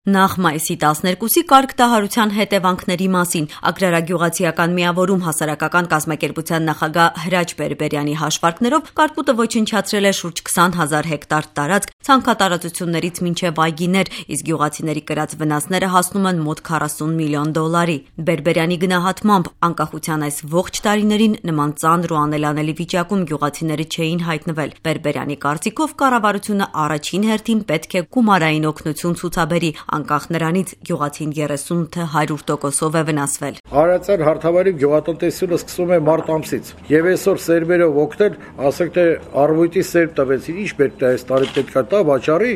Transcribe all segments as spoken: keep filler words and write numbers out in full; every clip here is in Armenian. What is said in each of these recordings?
Նախ մայիսի տասներկուսի կարգտահարության հետևանքների մասին Ագրարագյուղացիական միավորում հասարակական կազմակերպության նախագահ Հրաչ Բերբերյանի հաշվարկներով կարկուտը ոչնչացրել է շուրջ քսան հազար հեկտար տարածք, ցանքատարածություններից մինչև այգիներ, իսկ գյուղացիների կրած վնասները հասնում են մոտ քառասուն միլիոն դոլարի։ Բերբերյանի գնահատմամբ անկախության այս ողջ տարիներին նման ծանր ու անելանելի վիճակում գյուղացիները չէին հայտնվել։ Բերբերյանի կարծիքով կառավարությունը առաջին հերթին պետք է գումարային օգնություն ցուցաբերի, անկախ նրանից գյուղացին երեսուն թե հարյուր տոկոսով է վնասվել։ Արարածան հարթավայրի գյուղատնտեսությունը սկսում է մարտ ամսից, եւ այսօր սերմերով օգնել, ասենք թե արվույտի սերմ տվեցին, ինչ պետք է այս տարի պետք է տա վաճառի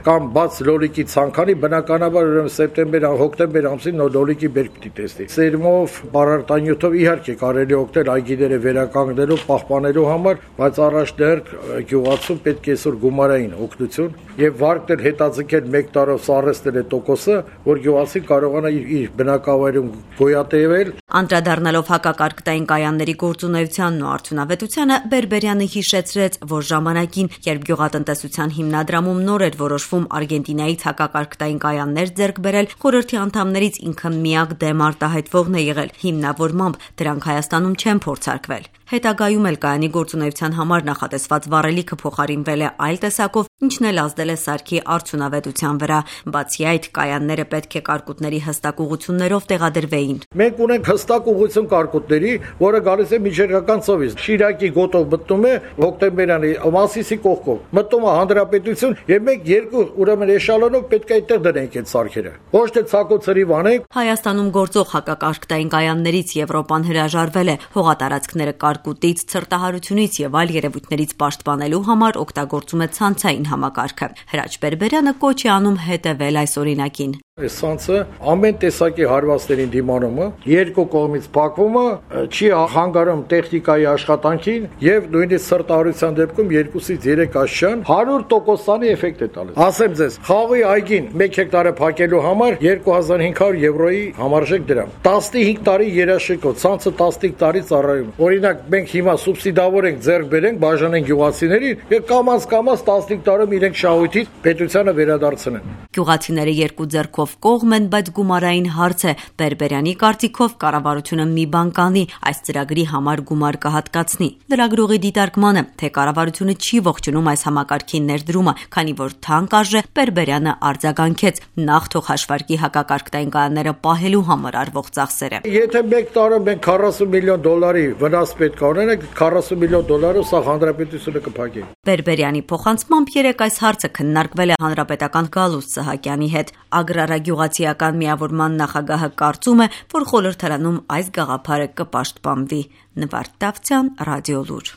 կամ բաց լոլիկի ցանկանի, բնականաբար ուրեմն սեպտեմբեր, հոկտեմբեր ամսին նոր լոլիկի բերք պիտի տեսնի։ Սերմով, բարարտանյութով իհարկե կարելի օգնել այգիները վերականգնելու, պահպանելու համար, բայց առաջնահերթ գյուղացուն պետք է այսօր գումարային օգնություն եւ վարկներ հետաձգել մեկ տարով սարսնել տոկոսը, որ գյուղացին կարողանա իր, իր բնակավայրում գոյատևել։ Անդրադառնալով հակակարգտային կայանների գործունեությանն ու արդյունավետությանը, Բերբերյանը հիշեցրեց, որ ժամանակին, երբ գյուղատնտեսության հիմնադրամում նոր էր որոշվում Արգենտինայից հակակարգտային կայաններ ձեռք բերել, խորհրդի անդամներից ինքը միակ դեմ արտահայտվողն է եղել, հիմնավորմամբ դրանք Հայաստանում չեն փորձարկվել։ Հետագայում էլ կայանի գործունեության համար նախատեսված վառելիքը փոխարինվել է այլ տեսակով, ինչն էլ ազդել է սարքի արդյունավետության վրա։ Բացի այդ, կայանները պետք է կարկուտների հստակ ուղղություններով տեղադրվեին։ Մենք ունենք հստակ ուղղություն կարկուտների, որը գալիս է միջերկրական ծովից։ Շիրակի գոտով մտնում է հոկտեմբերյանի Մասիսի կողքով, մտնում է Հանրապետություն, եւ մենք երկու ուրեմն էշալոնով պետք է այդտեղ դնենք այդ սարքերը։ Ոչ թե ցակոցրի վանենք։ Հայաստանում գործող հակակարգտային կայաններից Եվրոպան հրաժարվել է հողատարածքները կարկուտից, ցրտահարությունից եւ այլ երևույթներից պաշտպանելու համար օգտագործում է ցանցային համակարգը։ Հրաչ Բերբերյանը կոչ է անում հետևել այս օրինակին։ Այս ցանցը ամեն տեսակի հարվածներին դիմանումը, երկու կողմից փակումը, չի հանգարում տեխնիկայի աշխատանքին եւ նույնիսկ սրտահարության դեպքում երկուսից երեք աշճան հարյուր տոկոսանի էֆեկտ է տալիս։ Ասեմ ձեզ, խաղի այգին մեկ հեկտարը փակելու համար երկու հազար հինգ հարյուր եվրոյի համարժեք դրամ։ տասնհինգ տարի երաշեկով, ցանցը տասնհինգ տարի ծառայում։ Օրինակ, մենք հիմա սուբսիդավոր ենք ձեռք բերենք, բաժանենք գյուղացիներին եւ կամաց կամաց տասնհինգ տարում իրենք շահույթից պետությանը վերադարձնեն։ Գյուղացիները երկու ձեռքով կողմ են, բայց գումարային հարց է։ Բերբերյանի կարծիքով կառավարությունը մի բան կանի, այս ծրագրի համար գումար կհատկացնի։ Լրագրողի դիտարկմանը, թե կառավարությունը չի ողջունում այս համակարգի ներդրումը, քանի որ թանկ արժե, Բերբերյանը արձագանքեց, նախ թող հաշվարկի հակակարգտային կայանները պահելու համար արվող ծախսերը։ Եթե մեկ տարում մենք քառասուն միլիոն դոլարի վնաս պետք է ունենանք, քառասուն միլիոն դոլարով սա հանրապետությունը կփակի։ Բերբերյանի փոխանցմամբ երեք այս հարցը քննարկվել է հանրապետական Գալուստ Սահակյանի հետ։ Ագրարագյուղացիական միավորման նախագահը կարծում է, որ խորհրդարանում այս գաղափարը կպաշտպանվի։ Նվարդ Դավթյան, Ռադիոլուր։